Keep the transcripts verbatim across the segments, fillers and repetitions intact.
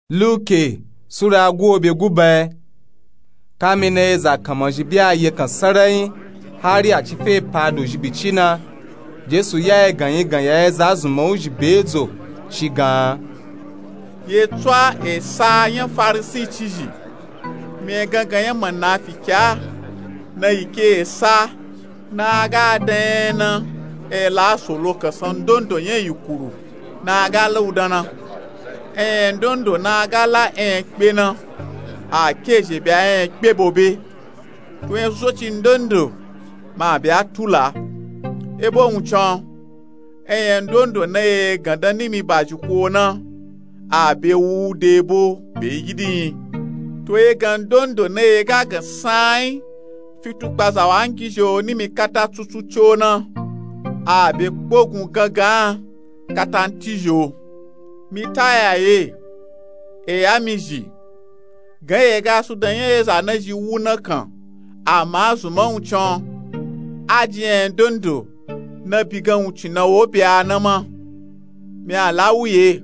Luke sura guwo be guba. Kamina eza kanmazhi be a yekan sarai hari a ci fe pa dozhi bici na, Jesu ya egan yi gan ya eza zunman wuzhi be dzo, ci gan, ye tswa esa nya Farisi cizhi, mi egangan nya manafikia, na yi ke esa na aga dan nya na, e la solo kansan ndondo nya yikuru na aga la u dan na. Enya ndondo na aga la enya kpe na, a kezhe be a enya kpe bobe. To enya soso ci ndondo ma be a tula. E bo wuncin, enya ndondo na ye gan dan nimi bazhi ko na, a be wu de bo be yi gidi nyi. To ye gan ndondo na ye ga gan sain fitukpa zawangizhi o nimi kata tsutsu ci o na, a be kpogun gangan kata nti zhi o. Mi ta ya ye, eya mi zhi, gan ye ga su dan nya eza na zhi wu na kan, ama zunman wuncin, a ji enya ndondo na bi gan wuncin na wo be a na ma. Mi a la wu ye,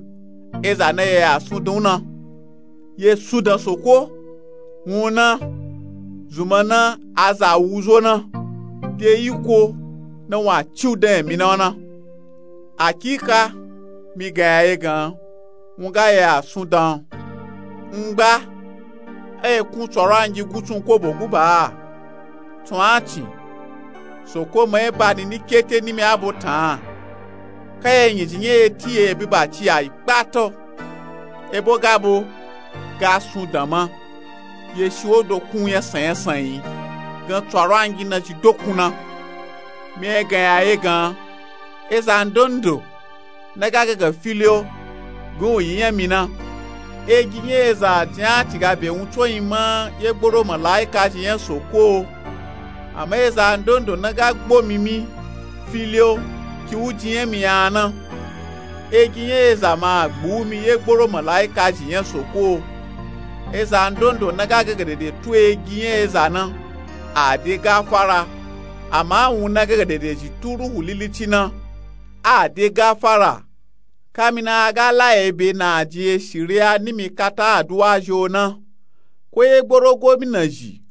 eza na ye a sun dan u na. Ye sun dan soko, wun na, zunman na a za wu zo na, de yiko na wun a ci u dan emi na o na. Akika, mi gan ya ye gan, wun ga ye a sun dan. Ngba, e kun tsorangi gutsun kobo guba a? Tun a cin, soko ma e ba ni ni kete nimi abo tan. Ka ye nyizhi nya ye ti ye bi ba ci ya yi kpato. E bo ga bo ga sun dan ma, ye shi wo dokun nya sanyan sanyi, gan tsorangi na zhi dokun na. Mi egan ya ye gan, eza ndondo na ga gangan fili o, gan u yi nya mi na. Egi nya eza jin a ci ga be wuncin o yi ma ye gboro malaika zhi nya soko o. Ama eza ndondo na ga gbo mi mi fili o, ki u ji nya mi ya na. Egi nya eza ma a gbu u mi ye gboro malaika zhi nya soko o. Eza ndondo na ga gangan dede tu egi nya eza na, a de gafara. Ama wun na gangan dede zhi tu Ruhu Lilici na, a de gafara. Kamina a ga la ye be na a ji ye shiriya nimi kata aduwa zhi o na, ko ye gboro gomina zhi,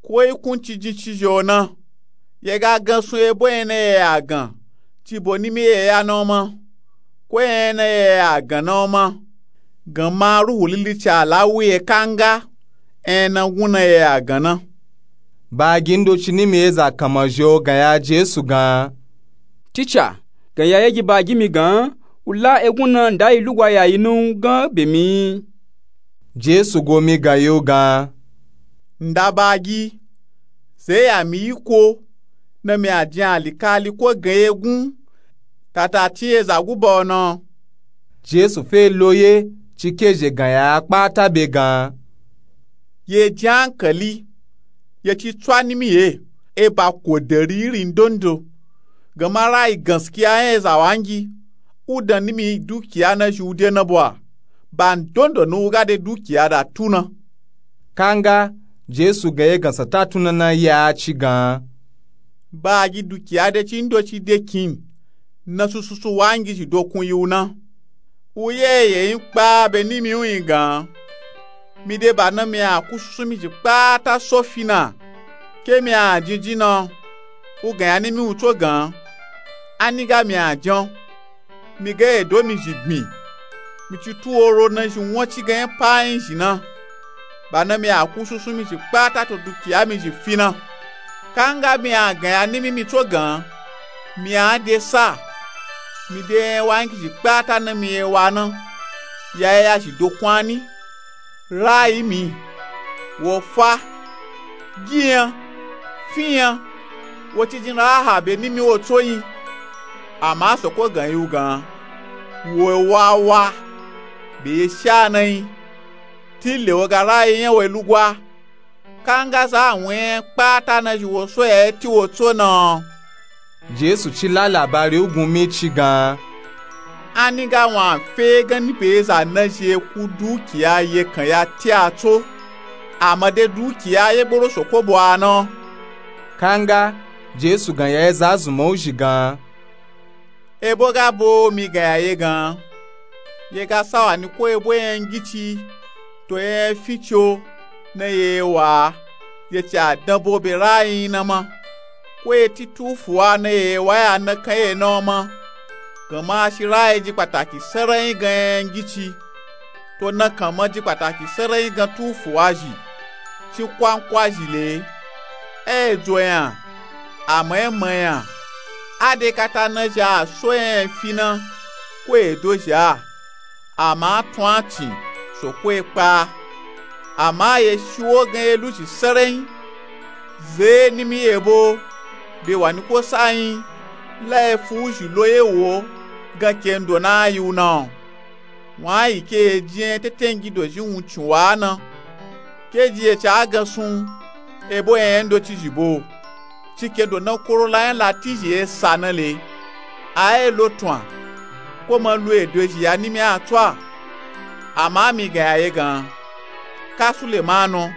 ko yi kun cijin cizhi o na, ye ga gan sun e bo enya na ye a gan, ci bo nimi ye ya na o ma, ko enya na ye a gan na o ma. Gan ma Ruhu Lilici a la wu ye kanga enya na wun na ye a gan na. Bagi ndoci nimi eza kanmazhi o gan ya Jesu gan, Tica, gan ya ye gi bagi mi gan, u la egun na nda yi lugwa ya yi na u gan be mi. Jesu go mi gan yi u gan, nda bagi, ze ya mi yiko, na mi a jin alikali ko gan egun, kata tin eza guba o na. Jesu fe lo ye, ci kezhe gan ya a kpata be gan, ye jin ankali, ye ci tswa nimi ye, e ba kodari iri ndondo. Gan ma rayi ganskiya nya eza wangi, u dan nimi dukiya na zhi u de na bo a, ba ndondo na u ga de dukiya da tu na. Kanga, Jesu gan ye gan sa ta tun na na ya ci gan, bagi dukiya de ci ndoci de kin, na sususu wangizhi dokun yi u na. U ye ye yin kpa be nimi u yin gan, mi de ba na mi a ku susu mi zhi kpata so fi na, ke mi a jinjin na, u gan ya nimi u tso gan, a ni ga mi a jan, mi ga edo mi zhi gbin, mi ci tu oro na zhi won ci gan nya pa yin zhi na, ba na mi a ku susu mi zhi kpata to dukiya mi zhi fi na. Kanga mi a gan ya nimi mi tso gan, mi a de sa, mi de nya wangizhi kpata na mi ye wa na, ya ye ya zhi dokun a ni, rayi mi, wo fa, gi nya, fi nya, wo ci jin raha be nimi wo tso yin. Ama soko gan yi u gan, wo wa wa, be ye sha na yin, tile wo ga rayi nya we lugwa. Kanga za a wun nya kpata na zhi wo so ya ye ti wo tso na. Jesu ci la labari u gun mi ci gan, a ni ga wun a fe ganni be eza na zhi ye ku dukiya ye kan ya ti a tso, ama de dukiya ye gboro soko bo a na. Kanga, Jesu gan ya eza zunman u zhi gan, e bo ga bo mi gan ya ye gan, ye ga sawa ni ko ebo yanyangyici to yanyanfico na ye wa ye ci a danbo be rayin na ma, ko ye ti tufuwa na ye wa ya nakan ye na o ma. Ganma shi rayi ji kpataki sarayin gan yanyangyici, to nakan ma ji kpataki sarayin gan tufuwa zhi, ci kwankwa zhi le. E dzo yan, ama e ma yan, a de kata na zhi a so yanyanfi na ko ye dozhi a, ama a tun a cin, soko ye kpa. Ama ye shi wo gan ye luzhi sarayin. Ze nimi yebo be wa ni ko sayin la ye fu wuzhi lo ye wo gan kendo na yi wu na o. Wun a yi ke ye jin yan tetengi dozhi wuncin wa na, ke ji ye ci a gansun ebo yanyandocizhi bo. Ci kendo na korola yan latizhi ye sa na le. A ye lo tun a, ko ma lu edo ezhi ya nimi a tso a. Ama mi gan ya ye gan, ka sulemanu,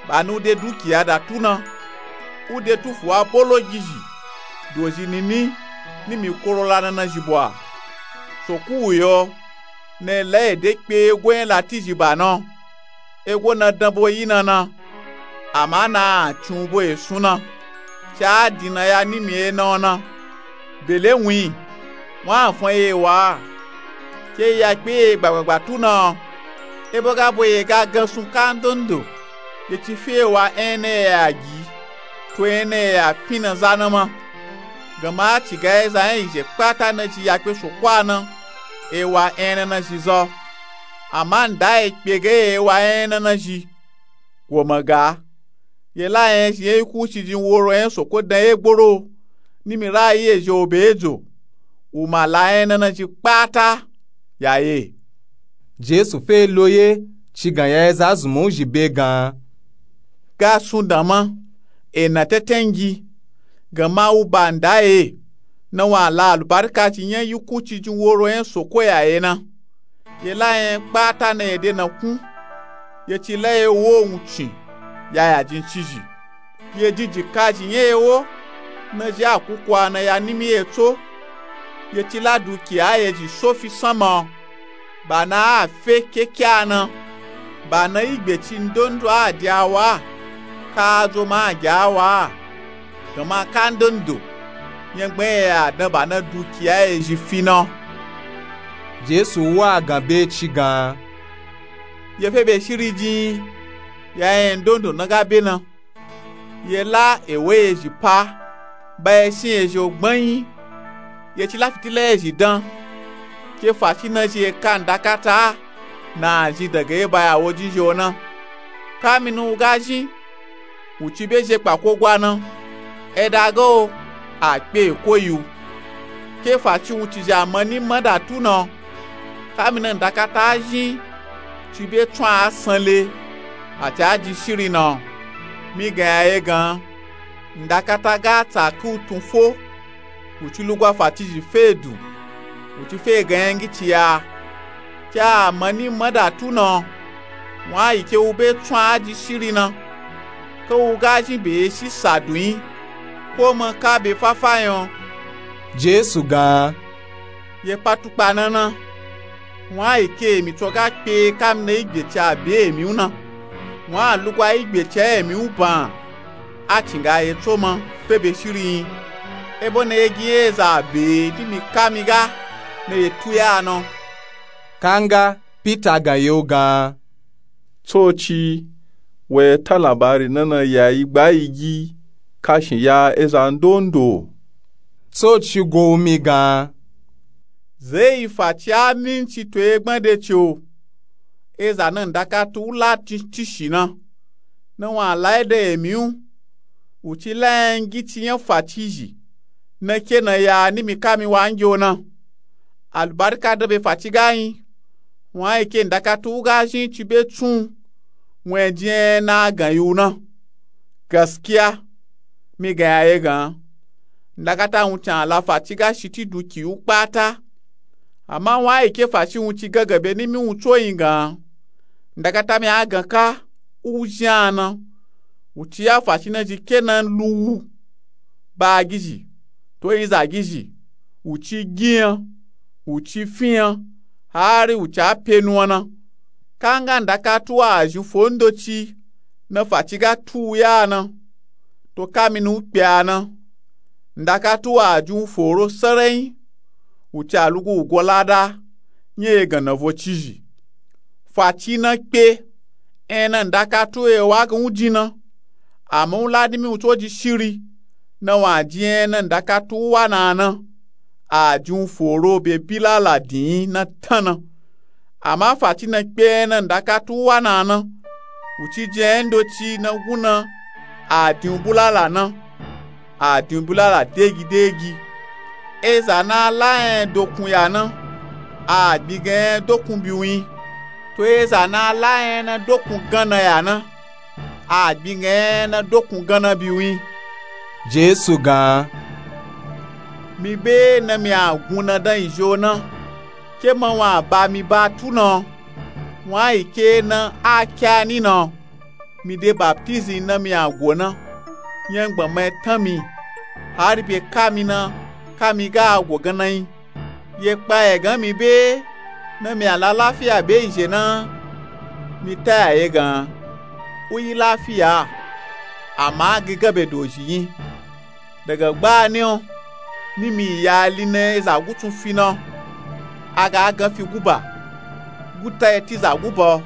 ba ni u de dukiya da tu na, u de tufuwa bologi zhi dozhi nini nimi korola nana zhi bo a. Soko wu yo na ye la ede kpe ego yan latizhi ba na o. Ego na danbo yi na na, ama na a cin u bo esun na, ci a din na ya nimi ye na o na. Bele wun yi, wun a fan ye wa a, ke yi ya kpe ye gbagbagba tu na o. Ebo ga bo ye ga gansun kandondo, ye ci fe ye wa yan na ye ya gi, to yan na ye ya fin na za na ma. Ganma a ci ga ye za yan yi zhe kpata na zhi ya kpe soko a na, e wa yan na na zhi za o. Ama nda ye kpe ga ye wa yan na na zhi. Wo ma ga, ye la yan ezhi yan yi kuci jin woro yan soko dan ye gboro, nimi rayi ezhi o be edzo, wu ma la yan na na zhi kpata ya ye. Jesu fe lo ye, ci gan ya ye za zunmun zhi be gan, ga sun dan ma, e na tetengi, ganma wu ba nda ye, na wun a la alubarika ci yan yi kuci jin woro yan soko ya ye na. Ye la yan kpata na ye de na kun, ye ci la ye wo wuncin ya ya jincizhi, ye jin jikazhi yan ye wo, na zhi a kuku a na ya nimi ye tso. Ye ci la dukiya ye zhi so fi sanma o, ba na a fe keke a na, ba na igbe ci ndondo a de a wa a, ka a zo ma a gi a wa a. Ganma kandondo yan gban ye ya dan ba na dukiya ye zhi fi na o. Jesu wa a gan be ci gan, ye fe be shiri jin ya yan ndondo na ga be na. Ye la ewo ye zhi pa, ba ye shin ye zhi o gbanyi. Ye ci la fitila ye zhi dan, ke faci na zhi ye ka ndakata a na a zhi daga ye ba ya wo jin zhi o na. Kamini wu ga zhin, wu ci be zhe kpa ko gwa na, e da ga o, a kpe ko yi wu. Ke faci wun ci zhi a mani ma da tu na o. Kamini ndakata a zhin, ci be tsun a san le, a ci a jin shiri na o. Mi gan ya ye gan, ndakata ga tsa ke wu tun fo, wu ci lugwa faci zhi fe dun, wu ci fe gan yangi ci ya. Ke a mani ma da tu na o, wun a yi ke wu be tsun a jin shiri na, ke wu ga zhin be ye shi sa dun yi, ko ma ka be fafa yan o. Jesu gan, ye kpa tukpa na na, wun a yi ke emi tso ga kpe kamini igbe ci a be emi u na, wun a lugwa igbe ci a emi u ban, a cin ga ye tso ma fe be shiri yi. Ebo na ye gi ye za be nimi ka mi ga na ye tu ya na o. Kanga Pita gan ye u gan, Tsoci, wa ye ta labari na na ya yi gba yi gi kashin ya eza ndondo. Tsoci go u mi gan, ze yi faci a minci to ye gbande ci o. Eza na ndakata u la tin tishi na, na wun a la yi da emi u, wu ci la yangi ci yan faci zhi, na ke na ya nimi ka mi wa ngi o na. Alubarika dan be faci ga yin, wun a yi ke ndakata u ga zhin ci be tsun u, wun e jin yan na a gan yi u na. Gaskiya, mi gan ya ye gan, ndakata wun ci a la faci ga shiti duki u kpata. Ama wun a yi ke faci wun ci gangan be nimi wun tso yin gan, ndakata mi a gan ka u zhin a na, wu ci ya faci na zhi ke na lu wu, ba gizhi, to yin za gizhi, wu ci gi yan, wu ci fi yan, hari wuci a pe nu a na. Kanga ndakatu a zhin fo ndoci na faci ga tu u ya a na, to kamini u kpe a na, ndakatu a jin u foro sarayin, wuci a lugu u go lada nya egan na vo cizhi. Faci na kpe, ena ndakatu e wa gan u jin na, ama u la dimi u to ji shiri na wa jin ena ndakatu u wa na a na, a jin u foro be bilala din na tan na. Ama faci na kpe ena ndakatu u wa na a na, wuci jin aya ndoci na gun na, a din u bulala na, a din u bulala degi degi. Eza na a la nya dokun ya na, a gbin gan nya dokun bi u yin. To eza na a la nya na dokun gan na ya na, a gbin gan nya na dokun gan na bi u yin. Jesu gan, mi be na mi a gun na dan izhi o na, ke ma wa ba mi ba tu na, wa yi ke na a ke a ni na, mi de baptizi na mi a go na, nya gbama e tan mi, hari be kami na, kami ga a go gan na yin. Ye kpa ye gan mi be na mi a la lafiya be izhi na, mi ta ya ye gan, u yi lafiya, ama a gi gan be dozhi yin. Daga gbani o, ni mi ya li na eza gutsun fi na, a ga gan fi guba, guta e ti za guba o,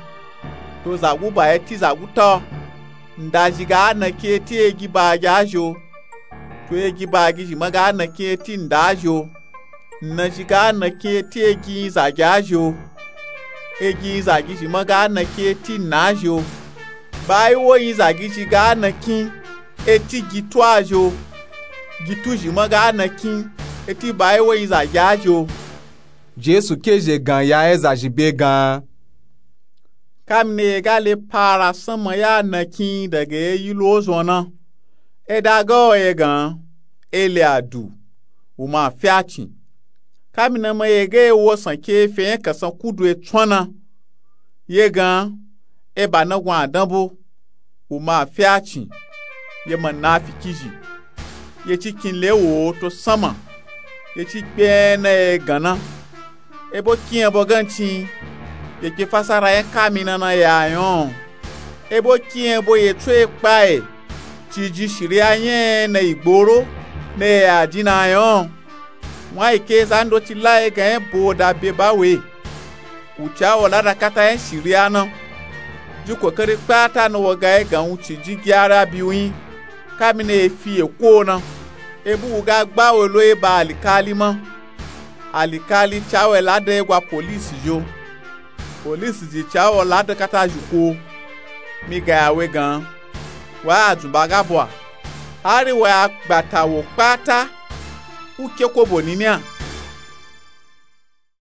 to za guba e ti za guta o. Nda zhi ga a na kin e ti egi ba gi a zhi o, to egi ba gi zhi ma ga a na kin e ti nda a zhi o. Nna zhi ga a na kin e ti egi yin za gi a zhi o, egi yin za gi zhi ma ga a na kin e ti nna a zhi o. Ba yi wo yin za gi zhi ga a na kin e ti gitu a zhi o, gitu zhi ma ga a na kin e ti ba yi wo yin za gi a zhi o. Jesu ke zhe gan ya eza zhi be gan, kamina ye ga le para sanma ya a na kin daga ye yi lo zon na, e da ga o ye gan, e le a du, u ma fi a cin. Kamina ma ye ga ye wo san ke e fe nya kasan kudu e tsun a na, ye gan, e ba na gun a dan bo, u ma fi a cin. Ye ma na a fi kizhi, ye ci kin le wo to sanma, ye ci kpe nya na ye gan na. E bo kin nya bo gancin, ye ke fasara nya kamina na ya nya o. E bo kin nya bo ye tso e kpa e, ci ji shiriya nya na yi gboro na ye a jin na nya o. Wa yi ke za ndoci la ye gan nya bo da be ba we, wuci a wo lada kata nya shiriya na. Ji kokari kpata na wo ga ye gan wuci ji gyara bi u yin, kamina ye fi ye ko na. E bu u ga gba we lo ye ba alikali ma. Alikali ca we lada ye gwa polisi zhi o. Polisi zhi ca wo lada kata zhi ko. Mi ga ya we gan, wa a dzun ba ga bwa, hari wa a gbata wo kpata, u ke kobo nini a.